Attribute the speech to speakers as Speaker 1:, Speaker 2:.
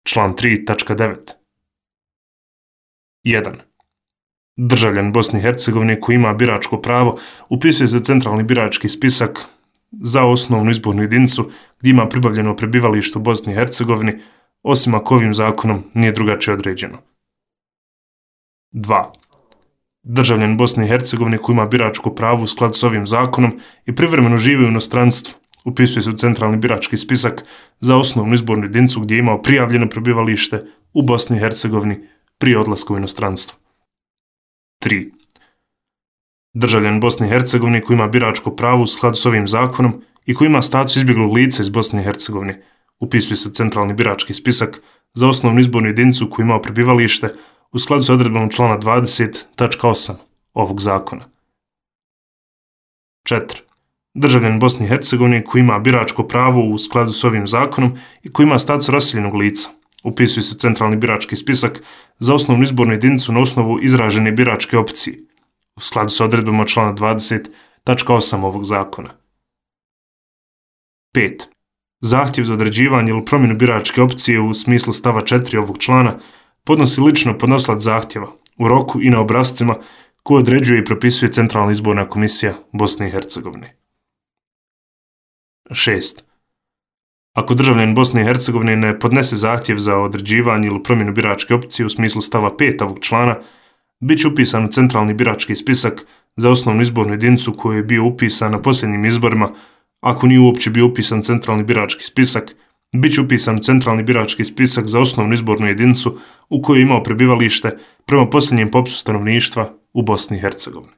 Speaker 1: Član 3.9. 1. Državljan Bosne i Hercegovine koji ima biračko pravo upisuje se u centralni birački spisak za osnovnu izbornu jedinicu gdje ima pribavljeno prebivalište u Bosni i Hercegovini, osim ako ovim zakonom nije drugačije određeno. 2. Državljan Bosne i Hercegovine koji ima biračko pravo u skladu s ovim zakonom i privremeno živi u inostranstvu upisuje se u centralni birački spisak za osnovnu izbornu jedinicu gdje je imao prijavljeno prebivalište u Bosni i Hercegovini prije odlaska u inostranstvo. 3. Državljan Bosne i Hercegovine koji ima biračko pravo u skladu s ovim zakonom i koji ima status izbjeglog lica iz Bosne i Hercegovine upisuje se u centralni birački spisak za osnovnu izbornu jedinicu koji imao prebivalište u skladu s odredbom člana 20.8 ovog zakona. 4. Državljan Bosne i Hercegovine koji ima biračko pravo u skladu s ovim zakonom i koji ima status raseljenog lica upisuje se u centralni birački spisak za osnovnu izbornu jedinicu na osnovu izražene biračke opcije u skladu s odredbama člana 20.8 ovog zakona. 5. Zahtjev za određivanje ili promjenu biračke opcije u smislu stava 4 ovog člana podnosi lično podnosilac zahtjeva u roku i na obrascima koje određuje i propisuje Centralna izborna komisija Bosne i Hercegovine. 6. Ako državljan Bosne i Hercegovine ne podnese zahtjev za određivanje ili promjenu biračke opcije u smislu stava 5 ovog člana, bit će upisan u centralni birački spisak za osnovnu izbornu jedinicu koju je bio upisan na posljednjim izborima. Ako nije uopće bio upisan centralni birački spisak, bit će upisan u centralni birački spisak za osnovnu izbornu jedinicu u kojoj je imao prebivalište prema posljednjem popisu stanovništva u Bosni i Hercegovini.